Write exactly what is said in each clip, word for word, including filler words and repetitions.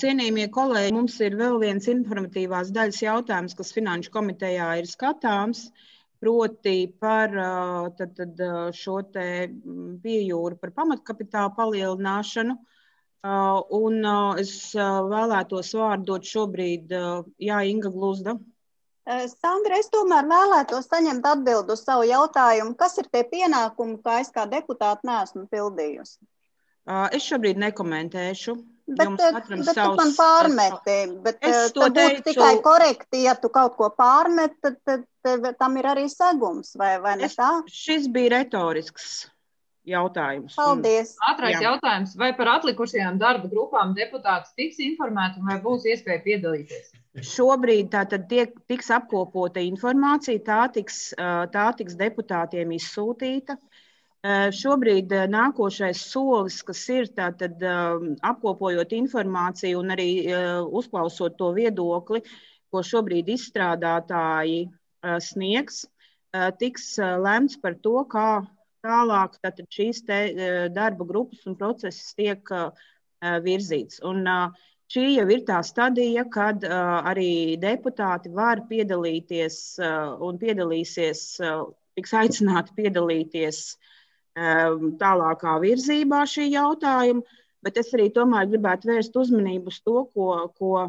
Cienījamie kolēģi, mums ir vēl viens informatīvās daļas jautājums, kas Finanšu komitejā ir skatāms, proti par tad, tad, šo te piejūru par pamatkapitāla palielināšanu. Un es vēlētos vārdu dot šobrīd, jā, Inga Gluzda. Sandra, es tomēr vēlētos saņemt atbildu uz savu jautājumu. Kas ir tie pienākumi, kā es kā deputāta neesmu pildījusi? Es šobrīd nekomentēšu. Bet, bet tu man pārmeti, bet tad būtu teicu... tikai korekti, ja tu kaut ko pārmet, tad, tad, tad tam ir arī segums, vai, vai ne tā? Es, šis bija retorisks jautājums. Paldies. Un, Ātrais jā. jautājums, vai par atlikušajām darba grupām deputāts tiks informēti un vai būs iespēja piedalīties? Šobrīd tā tad tiek, tiks apkopota informācija, tā tiks, tā tiks deputātiem izsūtīta. Šobrīd nākošais solis, kas ir tātad apkopojot informāciju un arī uzklausot to viedokli, ko šobrīd izstrādātāji sniegs, tiks lemts par to, kā tālāk tātad šīs te darba grupas un procesas tiek virzīts. Un šī jau ir tā stadija, kad arī deputāti var piedalīties un piedalīsies, tiks aicināti piedalīties tālākā virzībā šī jautājuma, bet es arī tomēr gribētu vērst uzmanību uz to, ko, ko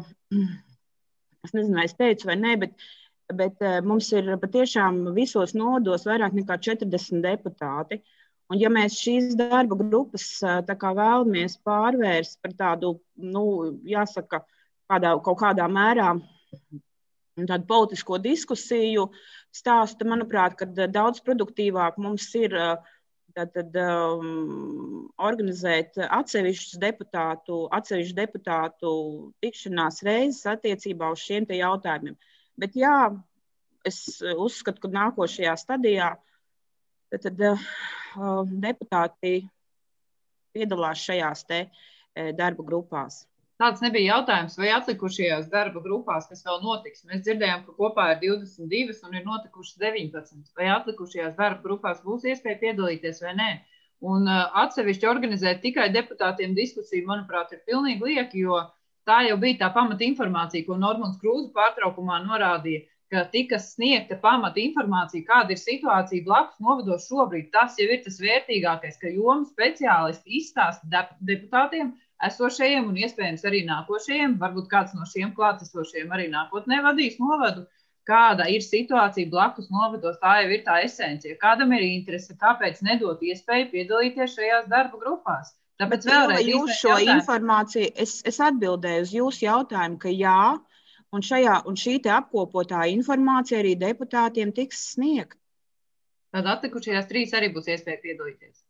es nezinu, vai es teicu vai ne, bet, bet mums ir patiešām visos nodos vairāk nekā četrdesmit deputāti. Un ja mēs šīs darba grupas tā kā vēlamies pārvērst par tādu, nu, jāsaka, kādā, kaut kādā mērā tādu politisko diskusiju stāstu, manuprāt, kad daudz produktīvāk mums ir Tātad, um, organizēt atsevišķus deputātu, atsevišķu deputātu tikšanās reizes attiecībā uz šiem te jautājumiem. Bet jā, es uzskatu, ka nākošajā stadijā tad, uh, deputāti piedalās šajās te uh, darba grupās. Tāds nebija jautājums, vai atlikušajās darba grupās, kas vēl notiks. Mēs dzirdējām, ka kopā ir divdesmit divi un ir notikušas deviņpadsmit. Vai atlikušajās darba grupās būs iespēja piedalīties vai nē? Un uh, atsevišķi organizēt tikai deputātiem diskusiju, manuprāt, ir pilnīgi lieki, jo tā jau bija tā pamata informācija, ko Normons Krūze pārtraukumā norādīja, ka tika sniegta pamata informācija, kāda ir situācija blakus novados šobrīd. Tas jau ir tas vērtīgākais, ka jomu speciālisti izstāsta deputātiem, esošajiem un iespējams arī nākošajiem, varbūt kāds no šiem klātesošajiem arī nākotnē vadīs novadu, kāda ir situācija blakus novados, tā jau ir tā esencija. Kādam ir interese, kāpēc nedot iespēju piedalīties šajās darba grupās? Tāpēc vēlreiz jūs šo informāciju, es, es atbildēju uz jūsu jautājumu, ka jā, un, šajā, un šī te apkopotā informācija arī deputātiem tiks sniegt. Tad atlikušajās trīs arī būs iespēja piedalīties.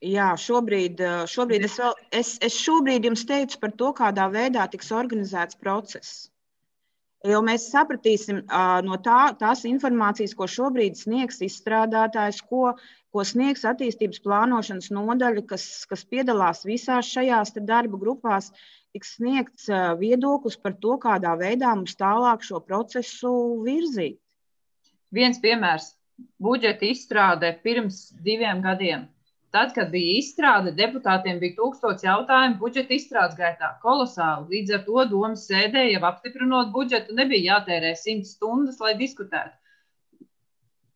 Jā, šobrīd, šobrīd es, vēl, es, es šobrīd jums teicu par to, kādā veidā tiks organizēts process. Jo mēs sapratīsim no tā, tās informācijas, ko šobrīd sniegs izstrādātājs, ko, ko sniegs attīstības plānošanas nodaļa, kas, kas piedalās visās šajās darba grupās, tiks sniegts viedoklis par to, kādā veidā mums tālāk šo procesu virzīt. Viens piemērs – budžeta izstrāde pirms diviem gadiem. Tad, kad bija izstrāde, deputātiem bija tūkstots jautājumu budžeta izstrādes gaitā. Kolosāli. Līdz ar to domas sēdē, jau apstiprinot budžetu, nebija jātērē simt stundas, lai diskutētu.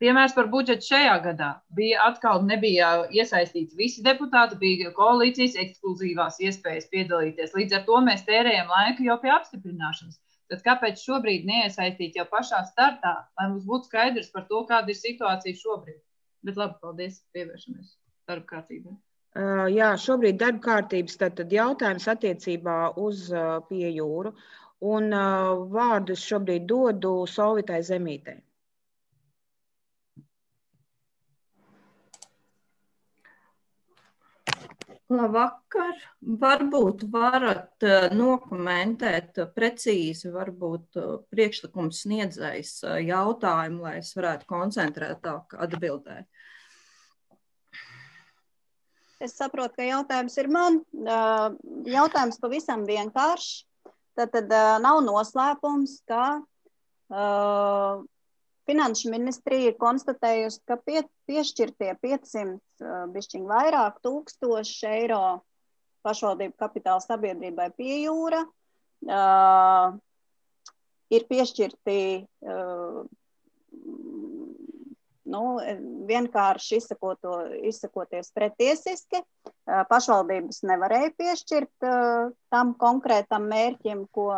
Piemērs par budžetu šajā gadā. Bija atkal nebija iesaistīts visi deputāti, bija koalīcijas ekskluzīvās iespējas piedalīties. Līdz ar to mēs tērējam laiku jau pie apstiprināšanas. Tad kāpēc šobrīd neiesaistīt jau pašā startā, lai mums būtu skaidrs par to, kāda ir situācija šobrīd? Bet labi, paldies, pievēršamies. Darba kārtībā? Uh, jā, šobrīd darba kārtības tad, tad jautājums attiecībā uz uh, piejūru. Un uh, vārdu es šobrīd dodu Solvitai Zemītei. Labvakar. Varbūt varat uh, nokomentēt uh, precīzi, varbūt uh, priekšlikums sniedzējs uh, jautājumu, lai es varētu koncentrētāk atbildēt. Es saprotu, ka jautājums ir man. Jautājums pavisam vienkāršs. Tad, tad nav noslēpums, ka uh, Finanšu ministrija ir konstatējusi, ka pie, piešķirtie piecsimt bišķiņ vairāk tūkstoši eiro pašvaldību kapitāla sabiedrībai Piejūra uh, ir piešķirti uh, nu, vienkārši izsakoto, izsakoties pretiesiski. Uh, pašvaldības nevarēja piešķirt uh, tam konkrētam mērķim, ko,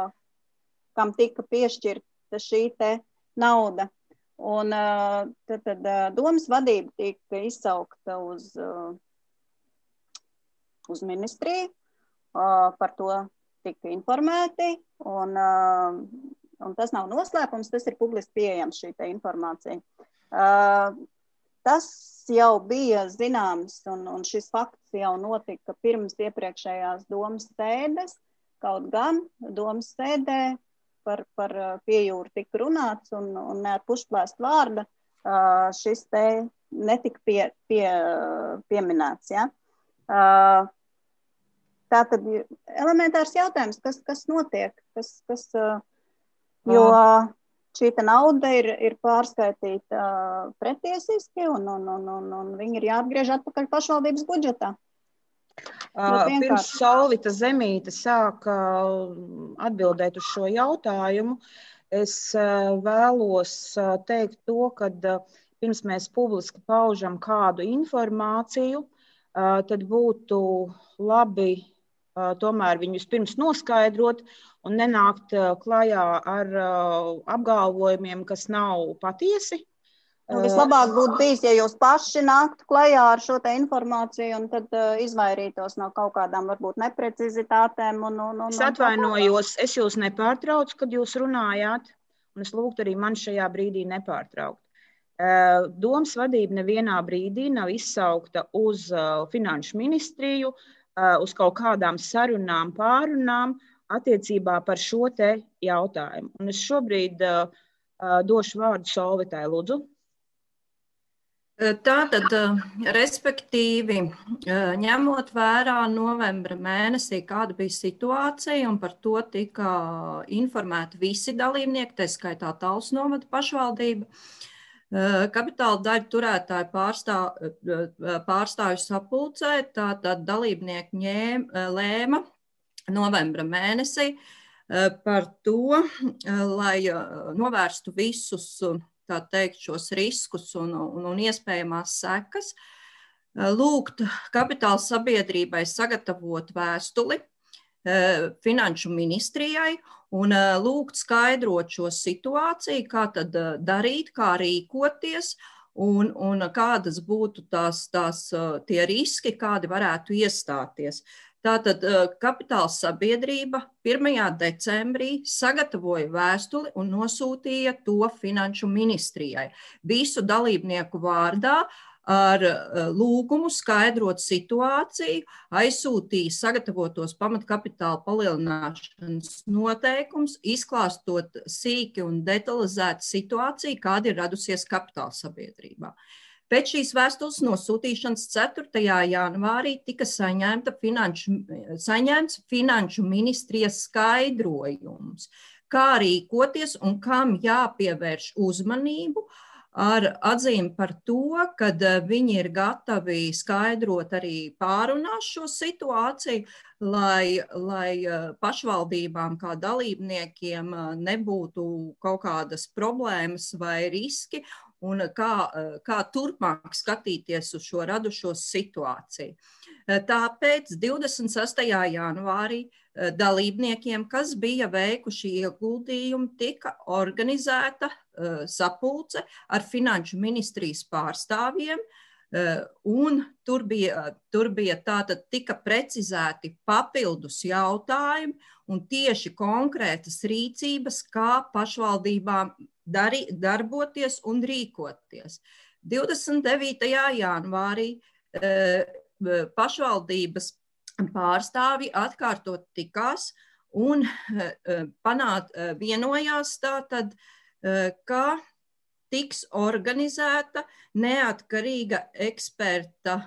kam tika piešķirta šī te nauda. Un uh, tad, tad uh, domas vadība tika izsaukta uz, uh, uz ministriju, uh, par to tika informēti, un, uh, un tas nav noslēpums, tas ir publiski pieejams šī te informācija. Uh, tas jau bija zināms, un, un šis fakts jau notika pirms iepriekšējās domas sēdes, kaut gan domas sēdē par, par Piejūru tika runāts, un, un ne ar pušplēst vārda uh, šis te netika pie, pie, pieminēts. Ja? Uh, Tātad elementārs jautājums, kas, kas notiek, kas, kas, uh, jo šī nauda ir, ir pārskaitīta uh, pretiesiski, un, un, un, un, un viņi ir jāatgriež atpakaļ pašvaldības budžetā. Uh, pirms Solvita Zemīte sāka atbildēt uz šo jautājumu, es uh, vēlos uh, teikt to, ka uh, pirms mēs publiski paužam kādu informāciju, uh, tad būtu labi uh, tomēr viņus pirms noskaidrot un nenākt uh, klajā ar uh, apgalvojumiem, kas nav patiesi. Nu, vislabāk būtu bijis, ja jūs paši nāktu klajā ar šo te informāciju un tad uh, izvairītos no kaut kādām varbūt neprecizitātēm. Un, un, un, es atvainojos, es jūs nepārtraucu, kad jūs runājāt, un es lūgtu arī man šajā brīdī nepārtraukt. Uh, domas vadība nevienā brīdī nav izsaukta uz uh, finanšu ministriju, uh, uz kaut kādām sarunām, pārunām attiecībā par šo te jautājumu. Un es šobrīd uh, uh, došu vārdu Solvitai, lūdzu. Tātad, respektīvi, ņemot vērā novembra mēnesī, kāda bija situācija, un par to tika informēti visi dalībnieki, tā skaitā Talsu novada pašvaldība, kapitāla daļu turētāju pārstāv, pārstāvju sapulcē, tātad dalībnieki ņēm, lēma novembra mēnesī par to, lai novērstu visus tā teikt, šos riskus un, un, un iespējamās sekas, lūgt kapitāla sabiedrībai sagatavot vēstuli finanšu ministrijai un lūgt skaidrot šo situāciju, kā tad darīt, kā rīkoties un, un kādas būtu tās, tās, tie riski, kādi varētu iestāties. Tātad kapitāla sabiedrība pirmajā decembrī sagatavoja vēstuli un nosūtīja to finanšu ministrijai. Visu dalībnieku vārdā ar lūgumu skaidrot situāciju, aizsūtīja sagatavotos pamatkapitāla palielināšanas noteikums, izklāstot sīki un detalizēti situāciju, kāda ir radusies kapitāla sabiedrībā. Pēc šīs vēstules nosūtīšanas ceturtajā janvārī tika saņemta finanšu, saņemts finanšu ministrijas skaidrojums, kā rīkoties un kam jāpievērš uzmanību, ar atzīmi par to, ka viņi ir gatavi skaidrot arī pārunās šo situāciju, lai, lai pašvaldībām kā dalībniekiem nebūtu kaut kādas problēmas vai riski, un kā, kā turpmāk skatīties uz šo radušo situāciju. Tāpēc divdesmit sestajā janvārī dalībniekiem, kas bija veikuši ieguldījumu, tika organizēta sapulce ar finanšu ministrijas pārstāvjiem, un tur bija, tur bija tātad tika precizēti papildus jautājumi un tieši konkrētas rīcības, kā pašvaldībām Dari, darboties un rīkoties. divdesmit devītajā janvārī e, pašvaldības pārstāvji atkārtot tikās un e, panāt, e, vienojās tātad, e, ka tiks organizēta neatkarīga eksperta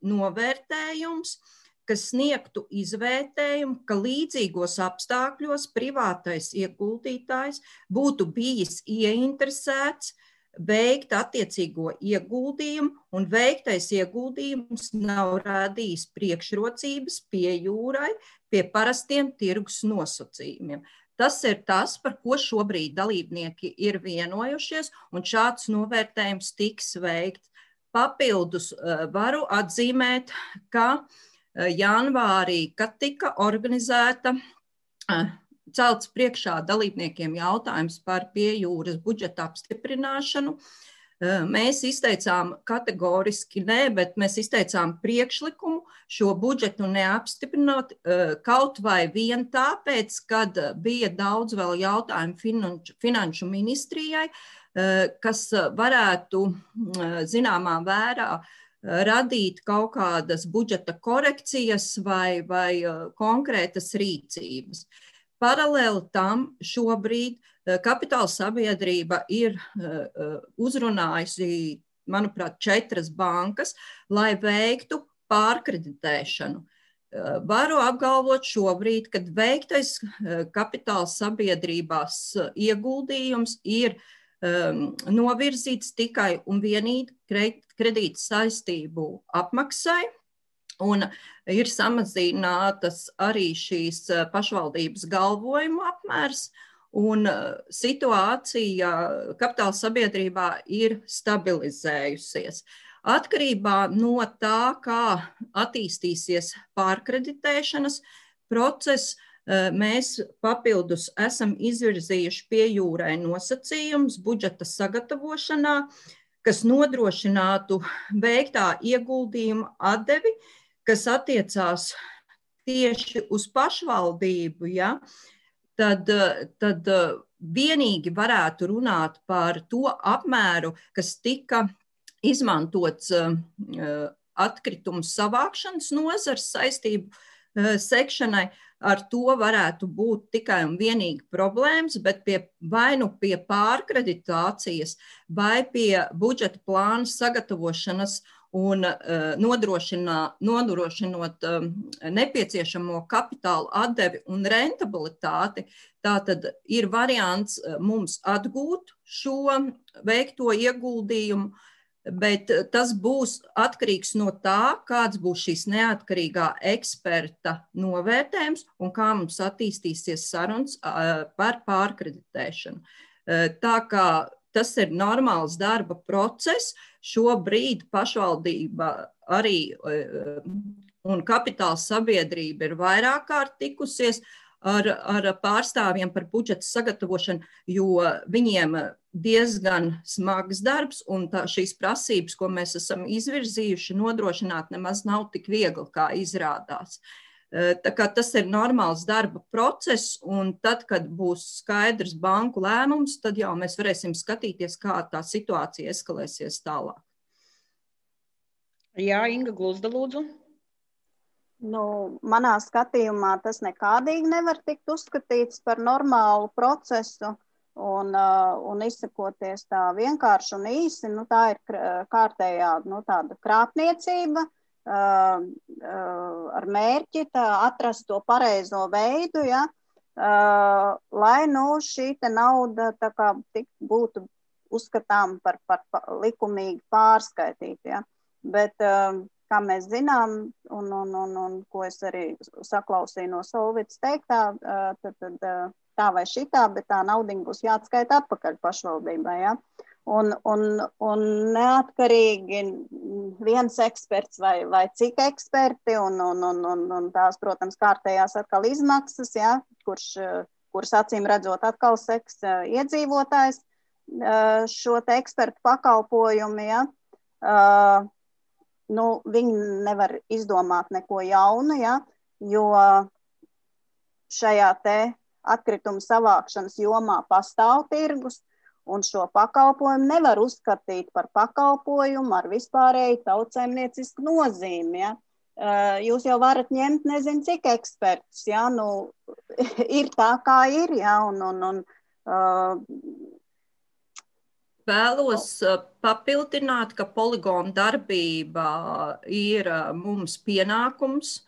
novērtējums, kas sniegtu izvērtējumu, ka līdzīgos apstākļos privātais ieguldītājs būtu bijis ieinteresēts veikt attiecīgo ieguldījumu, un veiktais ieguldījums nav radījis priekšrocības pie jūrai, pie parastiem tirgus nosacījumiem. Tas ir tas, par ko šobrīd dalībnieki ir vienojušies, un šāds novērtējums tiks veikts. Papildus varu atzīmēt, ka janvārī, kad tika organizēta, celts priekšā dalībniekiem jautājums par pie jūras budžeta apstiprināšanu, mēs izteicām kategoriski nē, bet mēs izteicām priekšlikumu šo budžetu neapstiprināt, kaut vai vien tāpēc, kad bija daudz vēl jautājumu finanšu, finanšu ministrijai, kas varētu zināmā vērā radīt kaut kādas budžeta korekcijas vai, vai konkrētas rīcības. Paralēli tam šobrīd kapitāla sabiedrība ir uzrunājusi, manuprāt, četras bankas, lai veiktu pārkreditēšanu. Varu apgalvot šobrīd, kad veiktais kapitāla sabiedrībās ieguldījums ir um, novirzīts tikai un vienīgi kredīta saistību apmaksai, un ir samazinātas arī šīs pašvaldības galvojuma apmērs, un situācija kapitāla sabiedrībā ir stabilizējusies. Atkarībā no tā, kā attīstīsies pārkreditēšanas process, mēs papildus esam izvirzījuši pie jūrai nosacījumus budžeta sagatavošanā, kas nodrošinātu veiktā ieguldījuma atdevi, kas attiecās tieši uz pašvaldību, ja, tad, tad vienīgi varētu runāt par to apmēru, kas tika izmantots atkritumu savākšanas nozars saistību sekšanai. Ar to varētu būt tikai un vienīgi problēmas, bet pie, vai nu pie pārkreditācijas, vai pie budžeta plāna sagatavošanas un nodrošinot nepieciešamo kapitālu atdevi un rentabilitāti, tātad ir variants mums atgūt šo veikto ieguldījumu, bet tas būs atkarīgs no tā, kāds būs šīs neatkarīgā eksperta novērtējums un kā mums attīstīsies sarunas par pārkreditēšanu. Tā kā tas ir normāls darba process, šobrīd pašvaldība arī un kapitāla sabiedrība ir vairāk kārt tikusies ar, ar pārstāvjiem par budžeta sagatavošanu, jo viņiem diezgan smags darbs, un tā, šīs prasības, ko mēs esam izvirzījuši, nodrošināt nemaz nav tik viegli, kā izrādās. Tā kā tas ir normāls darba process, un tad, kad būs skaidrs banku lēmums, tad jau mēs varēsim skatīties, kā tā situācija eskalēsies tālāk. Jā, Inga Gluzda, lūdzu. Nu, manā skatījumā tas nekādīgi nevar tikt uzskatīts par normālu procesu. Un, uh, un izsakoties tā vienkārši un īsi, nu, tā ir kārtējā nu, tāda krāpniecība uh, uh, ar mērķi tā, atrast to pareizo veidu, ja, uh, lai nu, šī te nauda tā kā tik būtu uzskatām par, par, par likumīgi pārskaitīta. Ja. Bet, uh, kā mēs zinām, un, un, un, un ko es arī saklausīju no Solvitas teiktā, uh, tad, tad uh, tā vai šitā, bet tā naudiņa būs jāatskaita atpakaļ pašvaldībai. Ja? Un, un, un neatkarīgi viens eksperts vai, vai cik eksperti, un, un, un, un, un tās, protams, kārtējās atkal izmaksas, ja? kurš, kuras acīm redzot atkal seks iedzīvotājs šo te ekspertu pakalpojumu. Ja? Uh, nu, viņi nevar izdomāt neko jaunu, ja? Jo šajā te atkritumu savākšanas jomā pastāv tirgus, un šo pakalpojumu nevar uzskatīt par pakalpojumu ar vispārēju tautsaimniecisku nozīmi. Ja? Jūs jau varat ņemt nezinu cik ekspertus, ja? Nu, ir tā kā ir. Ja? Un, un, un, uh... Vēlos papildināt, ka poligona darbība ir mums pienākums,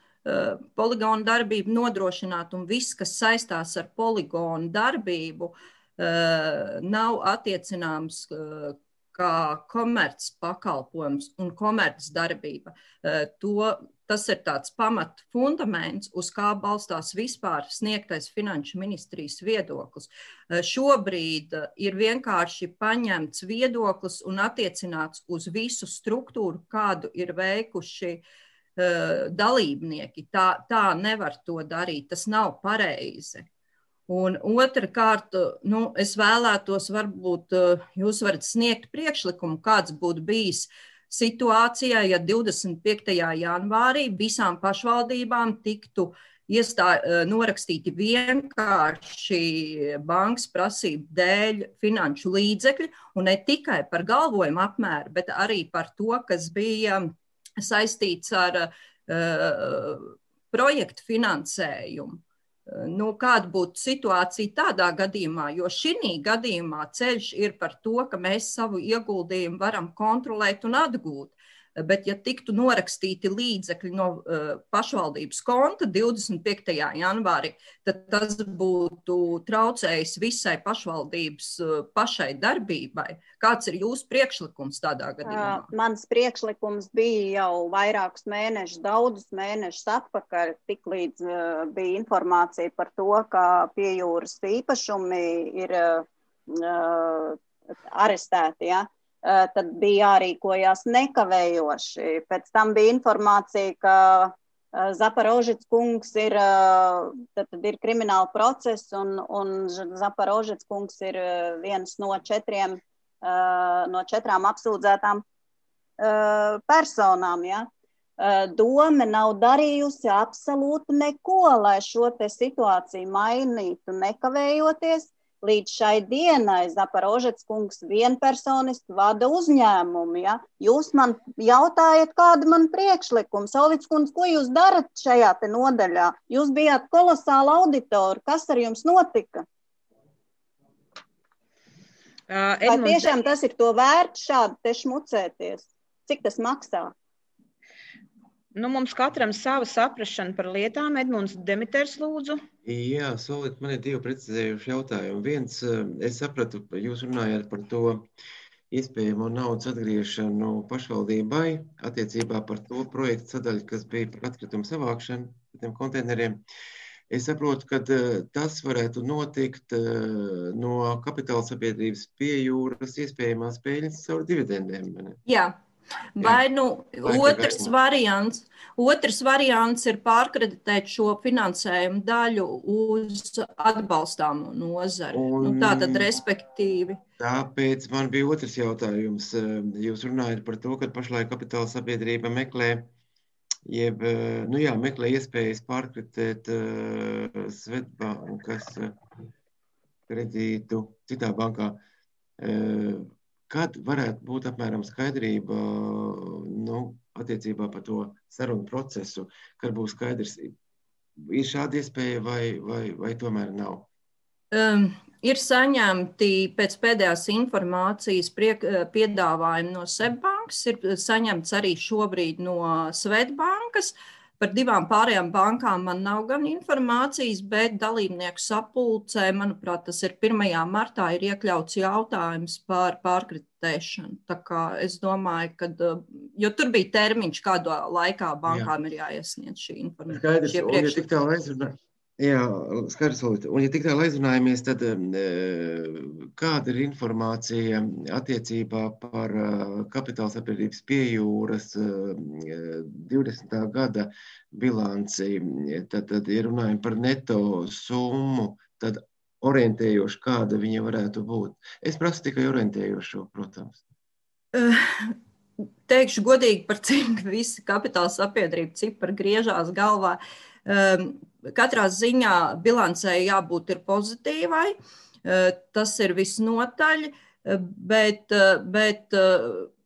poligonu darbību nodrošināt, un viss, kas saistās ar poligonu darbību, nav attiecināms kā komerc pakalpojums un komerc darbība. To, tas ir tāds pamat fundaments, uz kā balstās vispār sniegtais finanšu ministrijas viedoklis. Šobrīd ir vienkārši paņemts viedoklis un attiecināts uz visu struktūru, kādu ir veikuši uh, dalībnieki. Tā, tā nevar to darīt, tas nav pareizi. Un otrkārt, nu, es vēlētos, varbūt jūs varat sniegt priekšlikumu, kāds būtu bijis situācijā, ja divdesmit piektajā janvārī visām pašvaldībām tiktu iestā, norakstīti vienkārši bankas prasību dēļ finanšu līdzekļi, un ne tikai par galvojumu apmēru, bet arī par to, kas bija saistīts ar uh, projektu finansējumu. Nu, kāda būtu situācija tādā gadījumā, jo šī gadījumā ceļš ir par to, ka mēs savu ieguldījumu varam kontrolēt un atgūt. Bet, ja tiktu norakstīti līdzekļi no uh, pašvaldības konta divdesmit piektajā janvārī, tad tas būtu traucējis visai pašvaldības uh, pašai darbībai. Kāds ir jūsu priekšlikums tādā gadījumā? Uh, mans priekšlikums bija jau vairākus mēnešus, daudzus mēnešus atpakaļ, tik līdz uh, bija informācija par to, ka pie jūras īpašumi ir uh, arestēti, ja? Tad bija jārīkojās nekavējoši. Pēc tam bija informācija, ka Zaporožets kungs ir, tad, tad ir krimināla process, un, un Zaporožets kungs ir viens no četriem, no četrām apsūdzētām personām. Ja? Dome nav darījusi absolūti neko, lai šo te situāciju mainītu nekavējoties. Līdz šai dienai Zaporožets kungs vienpersoniski vada uzņēmumu. Ja? Jūs man jautājat, kāda man priekšlikuma. Solvits kundze, ko jūs darat šajā te nodaļā? Jūs bijāt kolosāli auditori. Kas ar jums notika? Uh, Vai tiešām tas ir to vērts šādi te šmucēties? Cik tas maksā? Nu, mums katram sava saprašana par lietām. Edmunds Demiters, lūdzu. Jā, Solīt, man ir divi precizējuši jautājumi. Viens, es sapratu, jūs runājāt par to iespējamo naudas atgriešanu pašvaldībai attiecībā par to projektu sadaļu, kas bija par atkritumu savākšanu par tiem konteineriem. Es saprotu, ka tas varētu notikt no kapitāla sabiedrības pie jūras iespējamās peļņas caur dividendēm. Ne? Jā. Vai nu otrs variants, otrs variants ir pārkreditēt šo finansējumu daļu uz atbalstāmo nozari. Un, nu, tātad respektīvi. Tāpēc man bija otrs jautājums. Jūs runājat par to, ka pašlaik kapitāla sabiedrība meklē, jeb, nu jā, meklē iespējas pārkreditēt uh, Svetbankas uh, kredītu citā bankā. Uh, Kad varētu būt apmēram skaidrība nu, attiecībā par to sarunu procesu, kad būs skaidrs, ir šāda iespēja vai, vai, vai tomēr nav? Um, ir saņemti pēc pēdējās informācijas priek, piedāvājumi no Svetbankas, ir saņemts arī šobrīd no Svetbankas. Par divām pārējām bankām man nav gan informācijas, bet dalībnieku sapulcē, manuprāt, tas ir pirmajā martā, ir iekļauts jautājums par pārkreditēšanu. Tā kā es domāju, ka, jo tur bija termiņš, kādā laikā bankām Jā. Ir jāiesniedz šī informācija. Skaidrs, un ja tik tālu aizrunā, jā, skaidrs, un ja tik tālu aizrunājamies, tad kāda ir informācija attiecībā par kapitāla sabiedrības pie jūras divdesmitā gada bilanci, tad, tad ja runājam par neto summu, tad orientējoši, kāda viņa varētu būt. Es prasu tikai orientējošo, protams. Teikšu godīgi, par cik visi kapitāla sabiedrība cipari griežās galvā. Katrā ziņā bilancē jābūt ir pozitīvai, tas ir visnotaļ, bet, bet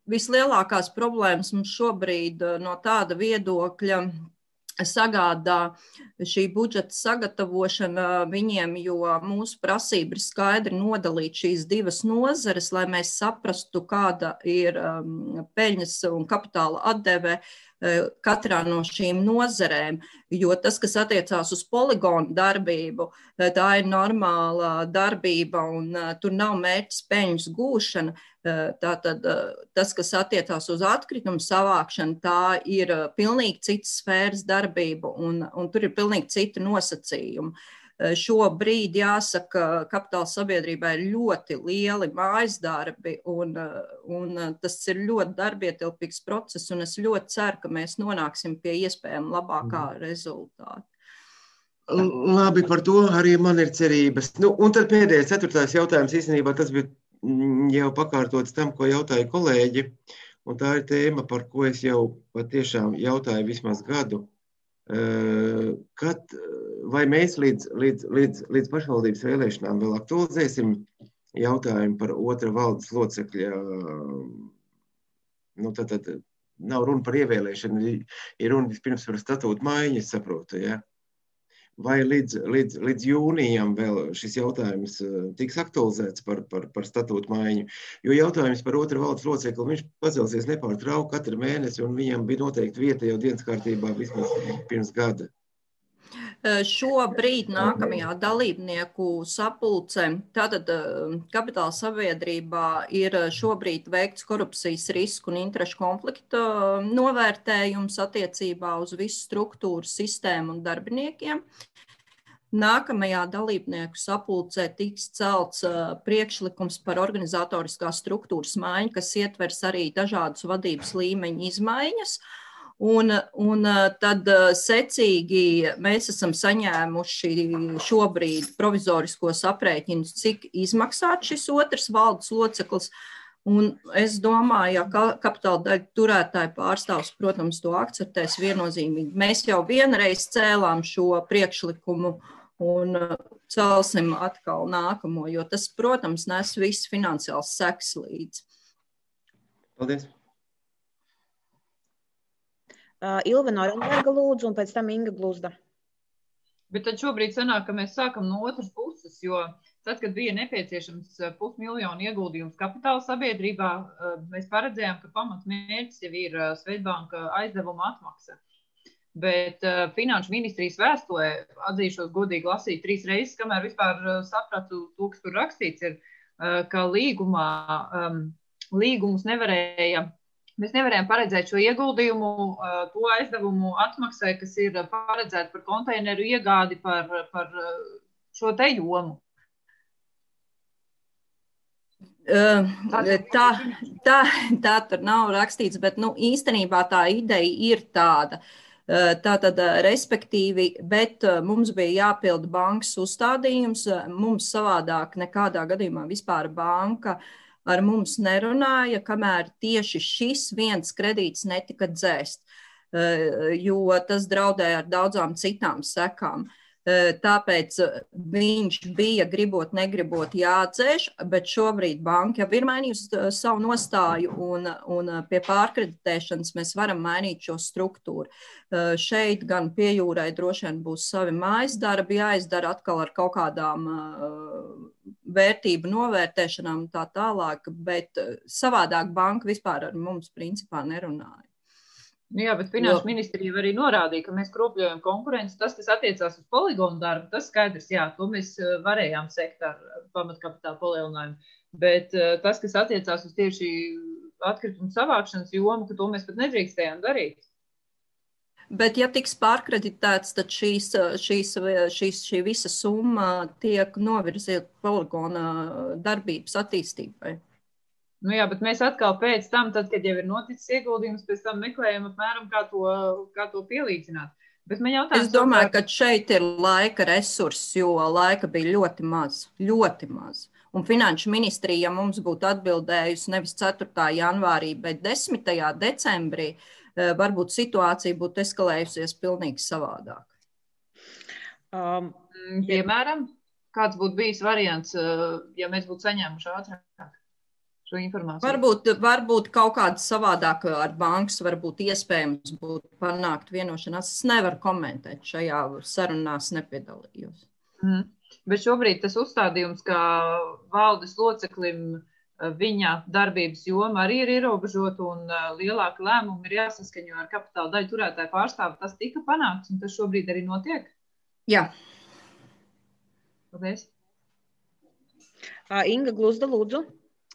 vislielākās problēmas mums šobrīd no tāda viedokļa sagādā šī budžeta sagatavošana viņiem, jo mūsu prasība ir skaidri nodalīt šīs divas nozares, lai mēs saprastu, kāda ir peļņas un kapitāla atdeve katrā no šīm nozarēm, jo tas, kas attiecās uz poligonu darbību, tā ir normāla darbība un tur nav mērķis peļņas gūšana. Tātad tas, kas attiecās uz atkritumu savākšanu, tā ir pilnīgi citas sfēras darbība un, un tur ir pilnīgi citi nosacījumi. Šobrīd, jāsaka, kapitāla sabiedrībā ir ļoti lieli mājas darbi, un, un tas ir ļoti darbietilpīgs process, un es ļoti ceru, ka mēs nonāksim pie iespējami labākā rezultāta. Labi, par to arī man ir cerības. Nu, un tad pēdējais, ceturtais jautājums, īstenībā tas bija jau pakārtots tam, ko jautāja kolēģi, un tā ir tēma, par ko es jau patiešām jautāju vismaz gadu. Kad, vai mēs līdz, līdz, līdz, līdz pašvaldības vēlēšanām vēl aktualizēsim jautājumu par otra valdes locekļa, nu tad, tad nav runa par ievēlēšanu, ir runa vispirms par statūtu maiņu, es saprotu, ja? Vai līdz, līdz, līdz jūnijam vēl šis jautājums tiks aktualizēts par, par, par statūtu maiņu, jo jautājums par otra valdes locekli, viņš pacelsies nepārtraukti katru mēnesi, un viņam bija noteikti vieta jau dienas kārtībā vismaz pirms gada. Šobrīd nākamajā dalībnieku sapulcē, tātad kapitāla sabiedrībā ir šobrīd veikts korupcijas risku un interešu konflikta novērtējums attiecībā uz visu struktūru, sistēmu un darbiniekiem. Nākamajā dalībnieku sapulcē tiks celts priekšlikums par organizatoriskās struktūras maiņu, kas ietvers arī dažādus vadības līmeņu izmaiņas. Un, un tad secīgi mēs esam saņēmuši šobrīd provizoriskos aprēķinus, cik izmaksāt šis otrs valdes loceklis. Un es domāju, ja kapitāla daļu turētāju pārstāvs, protams, to akceptēs viennozīmīgi. Mēs jau vienreiz cēlām šo priekšlikumu un celsim atkal nākamo, jo tas, protams, nes viss finansiāls seks līdz. Paldies. Uh, Ilva Norenberga lūdzu, un pēc tam Inga Gluzda. Bet tad šobrīd sanāk, ka mēs sākam no otras puses, jo tad, kad bija nepieciešams pusmiljonu ieguldījums kapitāla sabiedrībā, mēs paredzējām, ka pamatmērķis jau ir Swedbanka aizdevuma atmaksa. Bet uh, Finanšu ministrijas vēstulē, atzīšos godīgi lasīt trīs reizes, kamēr vispār sapratu to, kas tur rakstīts, ir, uh, ka līgumā, um, līgumus nevarēja Mēs nevarējām paredzēt šo ieguldījumu, to aizdevumu atmaksai, kas ir paredzēta par konteineru iegādi par, par šo te jomu. Tā, tā, tā tur nav rakstīts, bet nu, īstenībā tā ideja ir tāda. Tātad, respektīvi, bet mums bija jāpilda bankas uzstādījums, mums savādāk nekādā gadījumā vispār banka ar mums nerunāja, kamēr tieši šis viens kredīts netika dzēst, jo tas draudēja ar daudzām citām sekām. Tāpēc viņš bija gribot, negribot jādzēš, bet šobrīd banka jau ir mainījusi savu nostāju un, un pie pārkreditēšanas mēs varam mainīt šo struktūru. Šeit gan pie jūrai droši vien būs savi mājas darbi jāizdara atkal ar kaut kādām vērtību novērtēšanām un tā tālāk, bet savādāk banka vispār ar mums principā nerunāja. Jā, bet Finanšu ministrija arī norādīja, ka mēs kropļojam konkurenci. Tas, kas attiecās uz poligonu darbu, tas skaidrs, jā, to mēs varējām sekt ar pamatkapitāla palielinājumu. Bet tas, kas attiecās uz tieši atkritumu savākšanas jomu, ka to mēs pat nedrīkstējām darīt. Bet, ja tiks pārkreditēts, tad šīs, šīs, šīs, šī visa summa tiek novirzīta poligona darbības attīstībai. Nu jā, bet mēs atkal pēc tam, tad, kad jau ir noticis ieguldījums, pēc tam meklējam apmēram, kā to, kā to pielīdzināt. Bet man jautājums, es domāju, ka šeit ir laika resurss, jo laika bija ļoti maz, ļoti maz. Un Finanšu ministrija, ja mums būtu atbildējusi nevis ceturtā janvārī, bet desmitajā decembrī, varbūt situācija būtu eskalējusies pilnīgi savādāk. Um, piemēram, kāds būtu bijis variants, ja mēs būtu saņēmuši ātrāk? Varbūt, varbūt kaut kāda savādāk ar bankas varbūt iespējams būtu panākt vienošanās. Es nevaru komentēt, šajā sarunās nepiedalījos. Mm. Bet šobrīd tas uzstādījums, kā valdes loceklim viņa darbības joma arī ir ierobežota un lielāka lēmuma ir jāsaskaņo ar kapitāla daļu turētāju pārstāvu. Tas tika panākts un tas šobrīd arī notiek? Jā. Paldies. Inga Gluzda, lūdzu.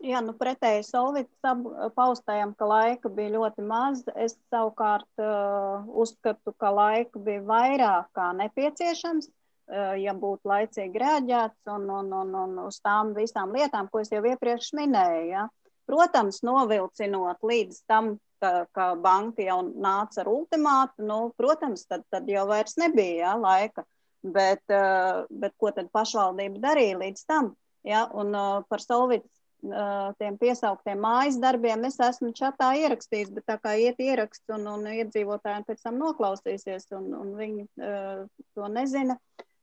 Jā, nu pretēji Solvitas paustajam, ka laika bija ļoti maz. Es savukārt uh, uzskatu, ka laika bija vairāk kā nepieciešams, uh, ja būtu laicīgi rēģēts un, un, un, un uz tām visām lietām, ko es jau iepriekš minēju. Ja. Protams, novilcinot līdz tam, ka, ka banka jau nāca ar ultimātu, nu, protams, tad, tad jau vairs nebija ja, laika. Bet, uh, bet ko tad pašvaldība darīja līdz tam? Ja, un uh, par Solvitas tiem piesauktiem mājas darbiem es esmu čatā ierakstījis, bet tā kā iet ieraksts un, un iedzīvotājiem pēc tam noklausīsies un, un viņi uh, to nezina,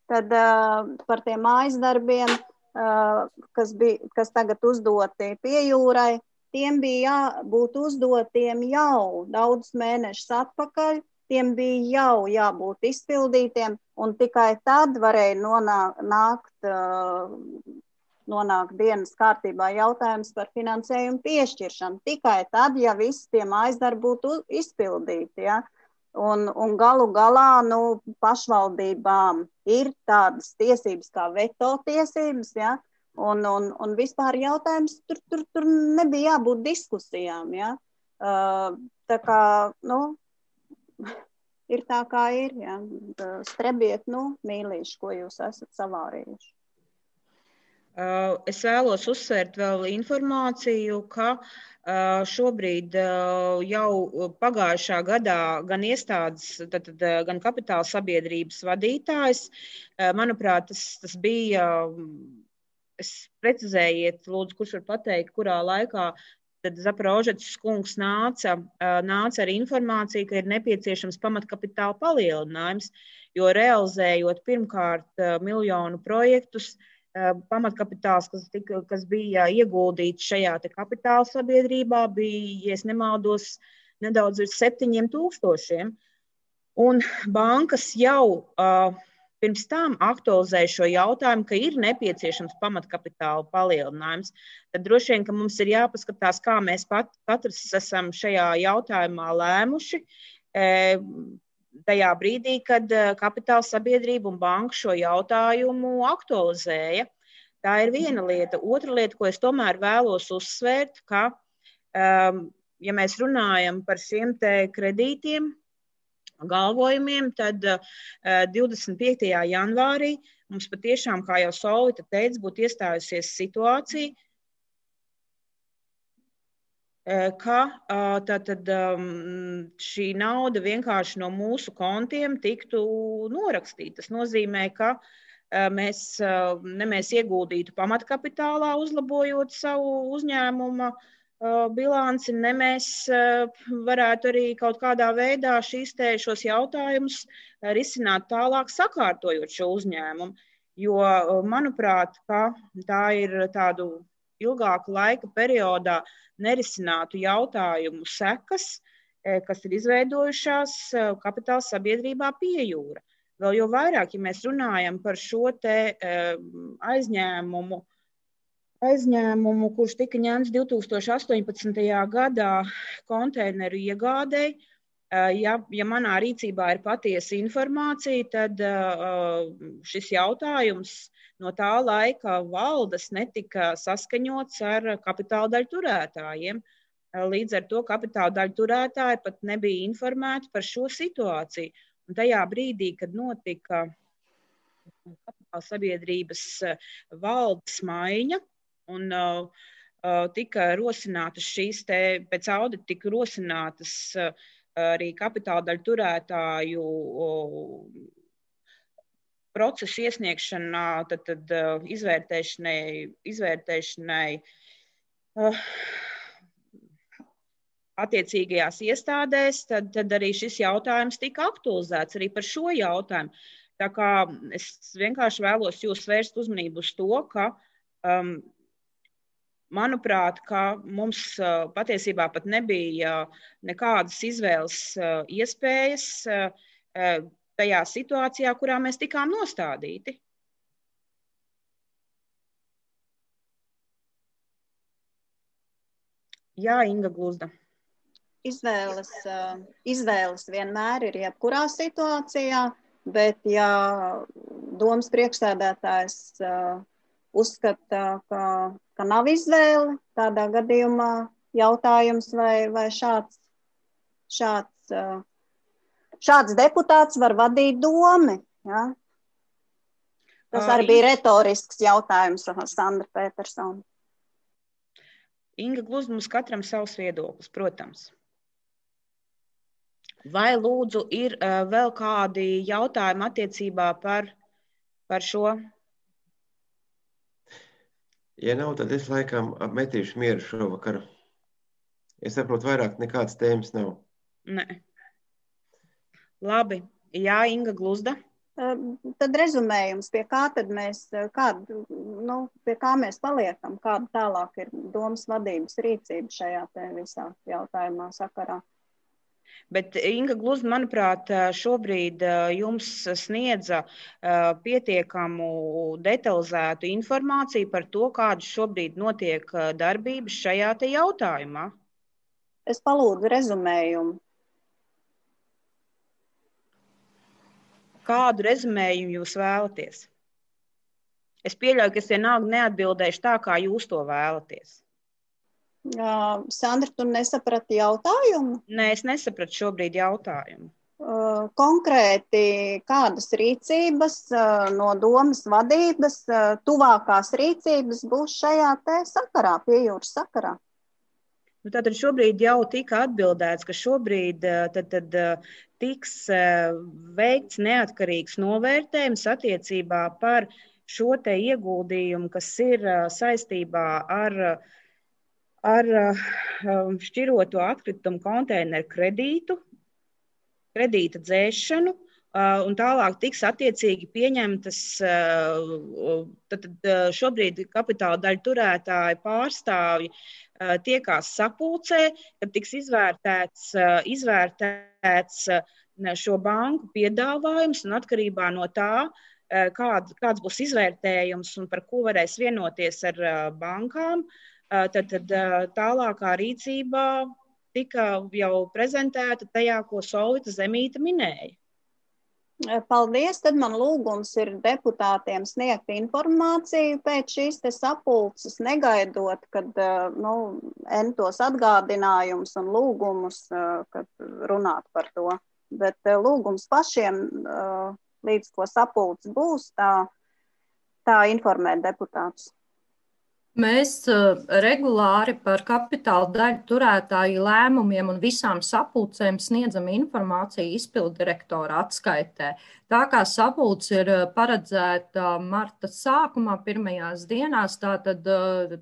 tad uh, par tiem mājas darbiem, uh, kas, bija, kas tagad uzdoti pie jūrai, tiem bija jābūt uzdotiem jau daudz mēnešus atpakaļ, tiem bija jau jābūt izpildītiem un tikai tad varēja nonākt nākt, uh, nonāk dienas kārtībā jautājums par finansējumu piešķiršanu. Tikai tad, ja visi tie mājasdarbi būtu izpildīti. Ja? Un, un galu galā nu, pašvaldībām ir tādas tiesības kā veto tiesības, ja? un, un, un vispār jautājums tur, tur, tur nebija jābūt diskusijām. Ja? Uh, tā kā, nu, ir tā kā ir. Ja? Strebiet, nu, mīlīši, ko jūs esat savārījuši. Es vēlos uzsvērt vēl informāciju, ka šobrīd jau pagājušā gadā gan iestādes, tad, gan kapitāla sabiedrības vadītājs, manuprāt, tas, tas bija, es precizējiet, lūdzu, kurš var pateikt, kurā laikā tad Zaporožets kungs nāca, nāca ar informāciju, ka ir nepieciešams pamatkapitāla palielinājums, jo realizējot pirmkārt miljonu projektus, pamatkapitāls, kas, tika, kas bija ieguldīts šajā te kapitāla sabiedrībā, bija, ja es nemaldos, nedaudz virs septiņiem tūkstošiem. Un bankas jau uh, pirms tam aktualizēja šo jautājumu, ka ir nepieciešams pamatkapitāla palielinājums. Tad droši vien, ka mums ir jāpaskatās, kā mēs pat, katrs esam šajā jautājumā lēmuši. E, Tajā brīdī, kad kapitāla sabiedrība un banka šo jautājumu aktualizēja. Tā ir viena lieta. Otra lieta, ko es tomēr vēlos uzsvērt, ka, um, ja mēs runājam par šiem te kredītiem, galvojumiem, tad uh, divdesmit piektajā janvārī mums patiešām, kā jau Solvita teica, būtu iestājusies situācija, ka tātad šī nauda vienkārši no mūsu kontiem tiktu norakstīta. Tas nozīmē, ka mēs, ne mēs ieguldītu pamatkapitālā, uzlabojot savu uzņēmuma bilanci, ne mēs varētu arī kaut kādā veidā šīs te šos jautājumus risināt tālāk, sakārtojot šo uzņēmumu. Jo, manuprāt, ka tā ir tādu ilgāku laika periodā nerisinātu jautājumu sekas, kas ir izveidojušās kapitāla sabiedrībā pie jūra. Vēl jau vairāk, ja mēs runājam par šo te aizņēmumu, aizņēmumu, kurš tika ņemts divi tūkstoši astoņpadsmitajā gadā konteineru iegādei, ja, ja manā rīcībā ir patiesa informācija, tad šis jautājums no tā laika valdes netika saskaņots ar kapitāla daļu turētājiem. Līdz ar to kapitāla daļu turētāji pat nebija informēti par šo situāciju. Un tajā brīdī, kad notika kapitāla sabiedrības valdes maiņa un uh, tika rosinātas šīs te, pēc audita tika rosinātas uh, arī kapitāla daļu turētāju uh, procesu iesniegšanā, tad, tad uh, izvērtēšanai, izvērtēšanai uh, attiecīgajās iestādēs, tad, tad arī šis jautājums tika aktualizēts arī par šo jautājumu. Tā kā es vienkārši vēlos jūs vērst uzmanību uz to, ka, um, manuprāt, ka mums uh, patiesībā pat nebija uh, nekādas izvēles uh, iespējas uh, uh, tajā situācijā, kurā mēs tikām nostādīti. Jā, Inga Gluzda. Izvēles, izvēles vienmēr ir jebkurā situācijā, bet ja domas priekšsēdētājs uzskata, ka, ka nav izvēle, tādā gadījumā jautājums, vai, vai šāds, šāds, šāds deputāts var vadīt domi. Ja? Tas arī bija retorisks jautājums, Sandra Petersona. Inga Gluzda, mums katram savs viedoklis, protams. Vai lūdzu ir uh, vēl kādi jautājumi attiecībā par, par šo? Ja nav, tad es laikam apmetīšu mieru šovakar. Es saprotu, vairāk nekādas tēmas nav. Nē. Labi. Jā, Inga Gluzda. Tad rezumējums, pie kā tad mēs, kādu, nu, pie kā mēs paliekam, kāda tālāk ir domas vadības rīcība šajā te visā jautājumā sakarā. Bet Inga Gluzda, manuprāt, šobrīd jums sniedza pietiekamu detalizētu informāciju par to, kādas šobrīd notiek darbības šajā te jautājumā. Es palūdzu rezumējumu. Kādu rezumējumu jūs vēlaties? Es pieļauju, ka es vienalga neatbildēšu tā, kā jūs to vēlaties. Uh, Sandra, tu nesaprati jautājumu? Nē, es nesapratu šobrīd jautājumu. Uh, konkrēti, kādas rīcības uh, no domas vadības, uh, tuvākās rīcības būs šajā te sakarā, piejūras sakarā? Nu, tātad šobrīd jau tika atbildēts, ka šobrīd tad, tad, tiks veikts neatkarīgs novērtējums attiecībā par šo te ieguldījumu, kas ir saistībā ar, ar šķiroto atkritumu konteineru kredītu, kredīta dzēšanu, un tālāk tiks attiecīgi pieņemtas, tad šobrīd kapitāla daļu turētāji pārstāvji tiekās sapulcē, kad tiks izvērtēts, izvērtēts šo banku piedāvājums un atkarībā no tā, kād, kāds būs izvērtējums un par ko varēs vienoties ar bankām, tad, tad tālākā rīcībā tika jau prezentēta tajā, ko Solvita Zemīte minēja. Paldies, tad man lūgums ir deputātiem sniegt informāciju pēc šīs te sapulces, negaidot, kad, nu, entos atgādinājumus un lūgumus, kad runāt par to. Bet lūgums pašiem, līdz ko sapulce būs, tā, tā informēt deputātus. Mēs uh, regulāri par kapitāla daļu turētāju lēmumiem un visām sapulcēm sniedzam informāciju izpildu direktora atskaitē. Tā kā sapulce ir paredzēta marta sākumā, pirmajās dienās, tātad,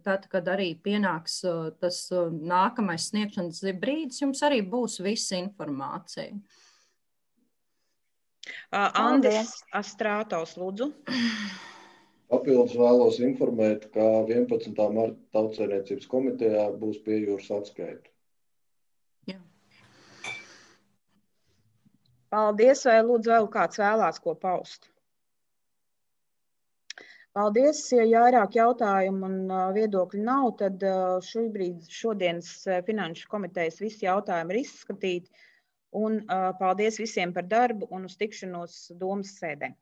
tad, kad arī pienāks tas nākamais sniegšanas brīdis, jums arī būs visa informācija. Uh, Andris Astrātovs, lūdzu. Papildus vēlos informēt, ka vienpadsmitā marta Tautsaimniecības komitejā būs piejūras atskaita. Jā. Paldies, vai lūdzu vēl kāds vēlās ko paust? Paldies, ja vairāk jautājumu un viedokļu nav, tad šobrīd šodienas finanšu komitejas visi jautājumi ir izskatīti. Un paldies visiem par darbu un uz tikšanos domas sēdē.